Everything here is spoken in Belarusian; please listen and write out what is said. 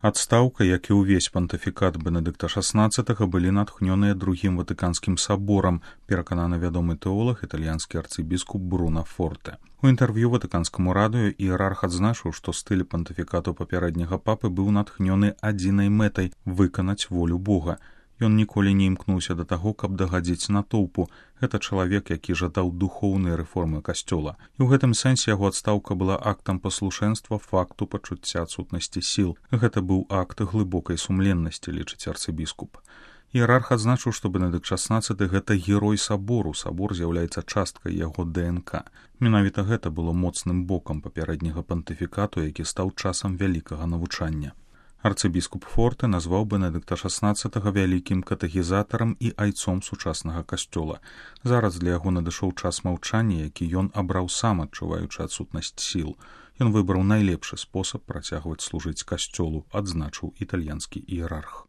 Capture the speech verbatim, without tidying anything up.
Адстаўка, як і ўвесь пантыфікат Бенедыкта шаснаццатага, былі натхнёныя другім ватыканскім саборам, перакананы вядомы тэолаг, італьянскі арцыбіскуп Бруно Форте. У інтэрв'ю ватыканскаму радыё іерарх адзначыў, што стыль пантыфікату папярэдняга папы быў натхнёны адзінай мэтай выканаць волю Бога. Ён ніколі не імкнуўся да таго, каб дагадзіць натоўпу. Гэта чалавек, які жадаў духоўнай рэформы касцёла. І ў гэтым сэнсе яго адстаўка была актам паслушэнства факту пачуцця адсутнасці сіл. Гэта быў акт глыбокай сумленнасці, лічыць арцыбіскуп. Іерарх адзначыў, што Бенедыкт шаснаццаты гэта герой сабору, сабор з'яўляецца часткай яго ДНК. Менавіта гэта было моцным бокам папярэдняга пантыфікату, які стаў часам вялікага навучання. Арцыбіскуп Форте назваў Бенедыкта шаснаццатага вялікім катэхізатарам і айцом сучаснага касцёла. Зараз для яго надышоў час маўчання, які ён абраў сам, адчуваючы адсутнасць сіл. Ён выбраў найлепшы спосаб працягваць служыць касцёлу, адзначыў італьянскі іерарх.